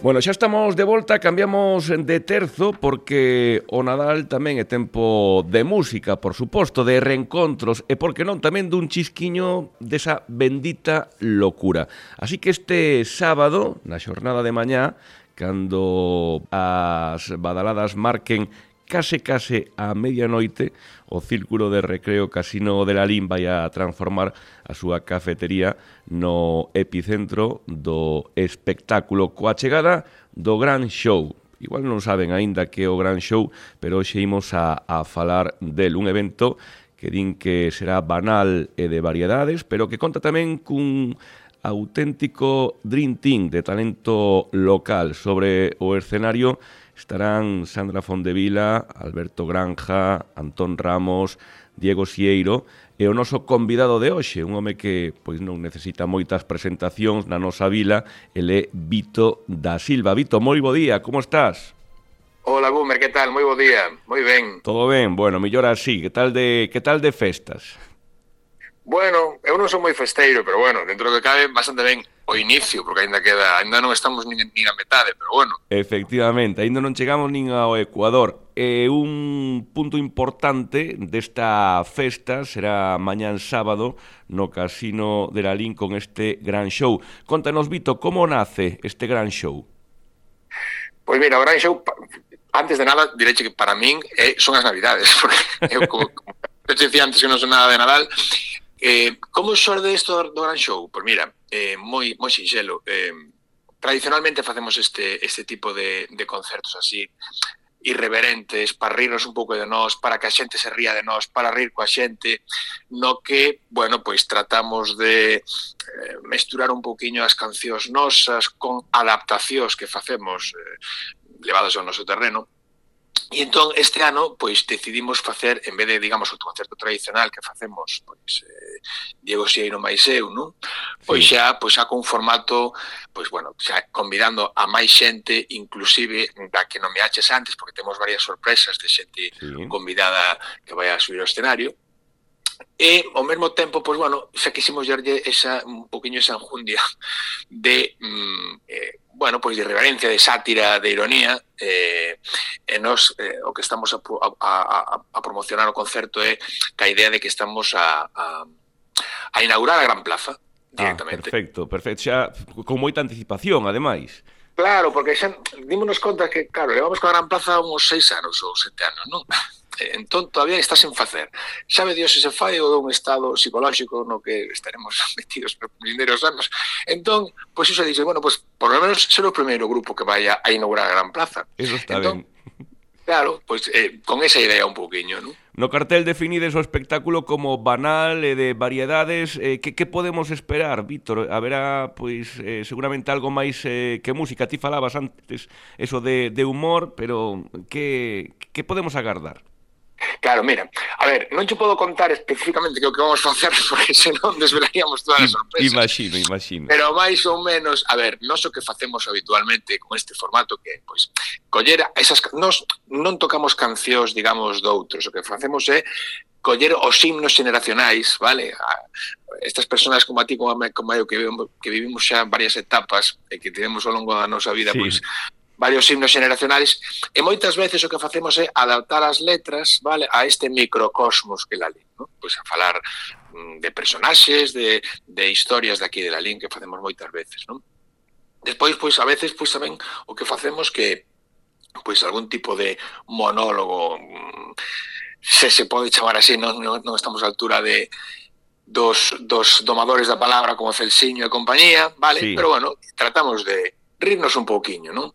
Bueno, xa estamos de volta, cambiamos de terzo porque o Nadal tamén é tempo de música, por suposto, de reencontros e, por que non, tamén dun chisquiño desa bendita locura. Así que este sábado, na xornada de mañá, cando as badaladas marquen case a medianoite, o Círculo de Recreo Casino de Lalín vai a transformar a súa cafetería no epicentro do espectáculo coa chegada do Gran Show. Igual non saben aínda que é o Gran Show, pero hoxe imos a falar del, un evento que din que será banal e de variedades, pero que conta tamén cun auténtico dream team de talento local. Sobre o escenario estarán Sandra Fondevila, Alberto Granja, Antón Ramos, Diego Sieiro e o noso convidado de hoxe, un home que pois non necesita moitas presentacións na nosa vila, ele é Vito da Silva. Vito, moi bo día, como estás? Hola, Boomer, que tal? Moi bo día, moi ben. Todo ben, bueno, millor así. Que tal de festas? Bueno, eu non sou moi festeiro, pero bueno, dentro do que cabe bastante ben o inicio, porque ainda non estamos nin a metade, pero bueno. Efectivamente, ainda non chegamos nin ao Ecuador. Un punto importante desta festa será mañán sábado no Casino de Lalín con este gran show. Contanos, Vito, como nace este gran show? Pois mira, o gran show, antes de nada, direche que para min son as Navidades, porque eu, como te dicía antes que non son nada de Nadal. Como xorde isto do Gran Show? Pois mira, moi sinxelo. Tradicionalmente facemos este tipo de concertos así irreverentes, para rirnos un pouco de nós, para que a xente se ría de nós, para rir coa xente, no que, bueno, pois tratamos de mesturar un pouquiño as cancións nosas con adaptacións que facemos levados ao noso terreno. E entón, este ano, pois, decidimos facer, en vez de, digamos, o concerto tradicional que facemos, pois, Diego Sieiro máis eu, non? Pois xa con formato, pois, bueno, xa convidando a máis xente, inclusive da que non me aches antes, porque temos varias sorpresas de xente convidada que vai a subir ao escenario. E, ao mesmo tempo, pois, bueno, xa quisimos darlle un poquinho esa enjundia de, bueno, pois de irreverencia, de sátira, de ironía, e nos o que estamos a promocionar o concerto é que a idea de que estamos a inaugurar a Gran Plaza directamente. Perfecto, xa con moita anticipación, ademais. Claro, porque xa dímonos conta que, claro, levamos con a Gran Plaza uns 6 anos ou 7 anos, non? Entón, todavía está sen facer. Sabe Dios se fai ou dun estado psicolóxico no que estaremos metidos por vindeiros anos. Entón, pois iso dice, bueno, pois por lo menos ser o primeiro grupo que vai a inaugurar a Gran Plaza. Eso está ben. Claro, pois con esa idea un pouquiño, non? No cartel definides o espectáculo como banal e de variedades. Que podemos esperar, Víctor? Haberá, pois, seguramente algo máis que música. Ti falabas antes eso de humor, pero que podemos agardar? Claro, mira, a ver, non te podo contar especificamente que o que vamos facer porque senón desvelaríamos todas as sorpresas. Imagino. Pero máis ou menos, a ver, nós o que facemos habitualmente con este formato que, pois, coller esas... Nós non tocamos cancións, digamos, doutros. O que facemos é coller os himnos generacionais, vale? Estas persoas como a ti, como eu, que vivimos xa varias etapas e que tivemos ao longo da nosa vida, pois... varios himnos generacionales, e moitas veces o que facemos é adaptar as letras, vale, a este microcosmos que Lalín, ¿no? Pois a falar de personaxes, de historias de aquí de Lalín que facemos moitas veces, non? Despois, pois, a veces, pois, tamén o que facemos que, pois, algún tipo de monólogo, se pode chamar así, non estamos á altura de dos domadores da palabra como Celsiño e compañía, vale? Sí. Pero, bueno, tratamos de rirnos un pouquiño, non?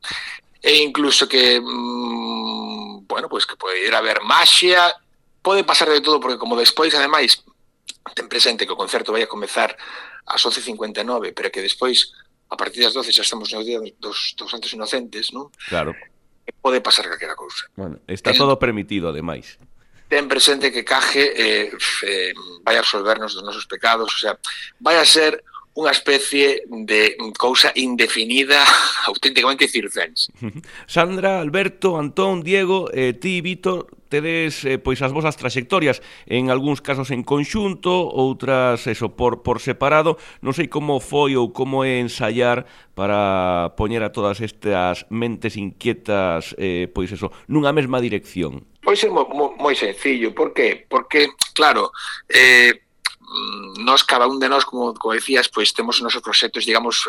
E incluso que, bueno, pois que pode ir a ver maxia, pode pasar de todo, porque como despois, ademais, ten presente que o concerto vai a comezar ás 11:59, pero que despois, a partir das 12, xa estamos no día dos Santos Inocentes, non? Claro. Pode pasar calquera cousa. Bueno, está todo permitido, ademais. Ten presente que Caje vai a absolvernos dos nosos pecados, o sea, vai a ser unha especie de cousa indefinida auténticamente circense. Sandra, Alberto, Antón, Diego, ti, Víctor, tedes pois as vosas trayectorias, en algúns casos en conxunto, outras eso por separado. Non sei como foi ou como é ensaiar para poñer a todas estas mentes inquietas pois eso, nunha mesma dirección. Pois é moi sencillo. Por qué? Porque, claro, nós, cada un de nós, como decías, pois temos os nosos proxectos, digamos,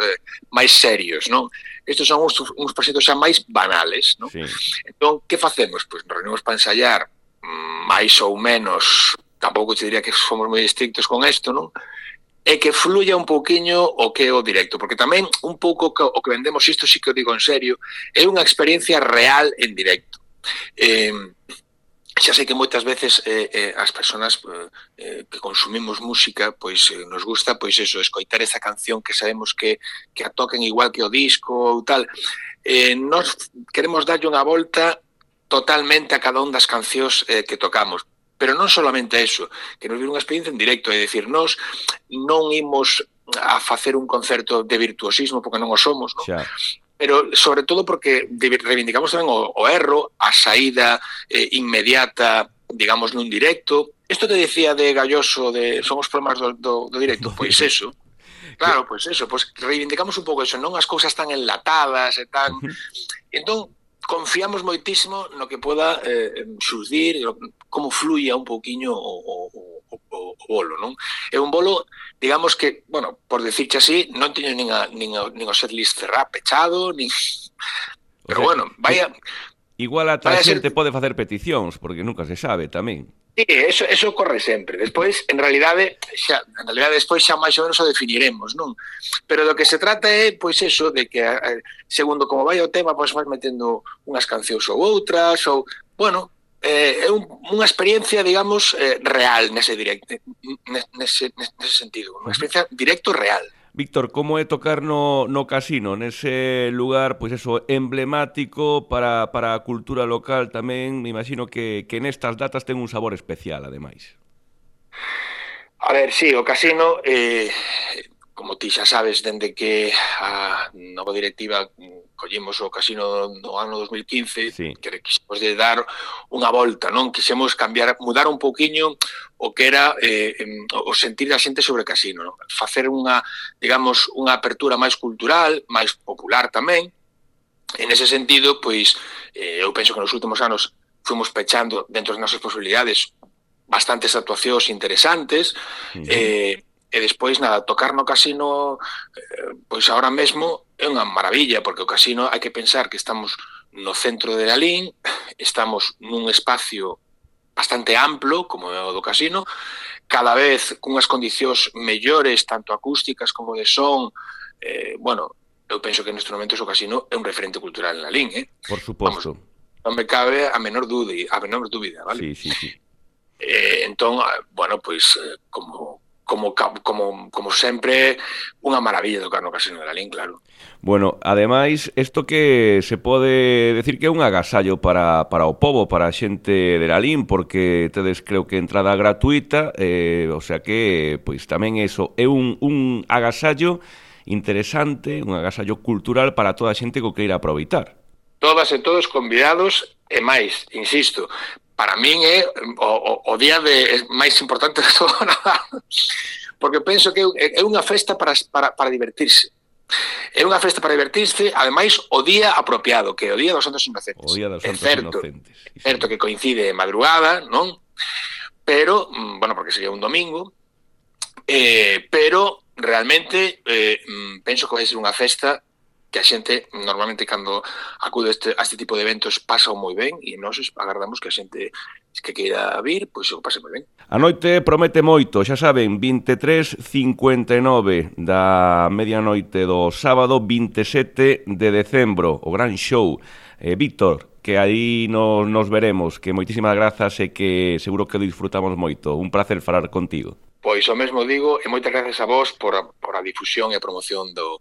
máis serios, non? Estes son uns proxectos xa máis banales, non? Sí. Entón, que facemos? Pois nos reunimos para ensaiar máis ou menos, tampouco te diría que fomos moi estrictos con isto, non? E que fluya un pouquiño o que é o directo, porque tamén un pouco o que vendemos, isto sí que o digo en serio, é unha experiencia real en directo. Xa sei que moitas veces as persoas que consumimos música, pois nos gusta, pois eso, escoitar esa canción que sabemos que a toquen igual que o disco ou tal. Nós queremos darlle unha volta totalmente a cada un das cancións que tocamos. Pero non solamente eso, que nos vir unha experiencia en directo, é dicir, nós non imos a facer un concerto de virtuosismo, porque non o somos, non? Xa. Pero sobre todo porque reivindicamos tamén o erro, a saída inmediata, digamos, nun directo. Isto que decía de Galloso, de son os problemas do directo, pois eso. Claro, pois eso, pois reivindicamos un pouco eso, non as cousas tan enlatadas e tan... Entón, confiamos moitísimo no que poda xurdir, como fluía un pouquiño o bolo, non? É un bolo, digamos que, bueno, por decirche así, non teño nin o setlist cerrado, pechado, nin... Pero bueno, vaya... Igual a a xente pode facer peticións, porque nunca se sabe tamén. Sí, eso corre sempre. Despois, en realidade, despois xa máis ou menos o definiremos, non? Pero do que se trata é, pois eso, de que segundo como vai o tema, pois vas metendo unhas cancións ou outras, ou, bueno, é unha experiencia, digamos, real nese directo, nese sentido, unha experiencia directo real. Víctor, como é tocar no casino, nese lugar, pois eso, emblemático para a cultura local tamén? Me imagino que nestas datas ten un sabor especial, ademais. A ver, sí, o casino, como ti xa sabes, dende que a nova directiva collemos o casino no ano 2015, sí, que quixemos de dar unha volta, non? Quixemos cambiar, mudar un pouquiño o que era o sentir da xente sobre o casino, non? Facer unha, digamos, unha apertura máis cultural, máis popular tamén. En ese sentido, pois, eu penso que nos últimos anos fomos pechando dentro das nosas posibilidades bastantes actuacións interesantes, e despois, nada, tocar no casino, pois agora mesmo é unha maravilla, porque o casino hai que pensar que estamos no centro de Lalín, estamos nun espacio bastante amplo, como é o do casino, cada vez cunhas condicións mellores, tanto acústicas como de son. Bueno, eu penso que nestes momentos o casino é un referente cultural en Lalín, Por suposto. Non me cabe a menor dúbida, vale? Sí. Entón, bueno, pois, como sempre, unha maravilla tocar no casino de Lalín, claro. Bueno, ademais, isto que se pode decir que é un agasallo para o pobo, para a xente de Lalín, porque tedes, creo que, entrada gratuita, o sea que, pois, tamén eso é un agasallo interesante, un agasallo cultural para toda a xente que o queira aproveitar. Todas e todos convidados, e máis, insisto, para min é o día máis importante de todo o Nadal, porque penso que é unha festa para divertirse. É unha festa para divertirse, ademais, o día apropiado, que é o Día dos Santos Inocentes. O Día dos Santos Inocentes. É certo que coincide de madrugada, non? Pero, bueno, porque sería un domingo, pero realmente penso que vai ser unha festa que a xente normalmente cando acude a este tipo de eventos pasa moi ben, e nós agardamos que a xente que queira vir, pois o pase moi ben. A noite promete moito, xa saben, 23:59 da medianoite do sábado 27 de decembro, o gran show. Víctor, que aí nos veremos, que moitísimas grazas e que seguro que disfrutamos moito. Un placer falar contigo. Pois o mesmo digo, e moitas gracias a vos por a difusión e a promoción dos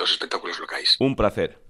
espectáculos locais. Un placer.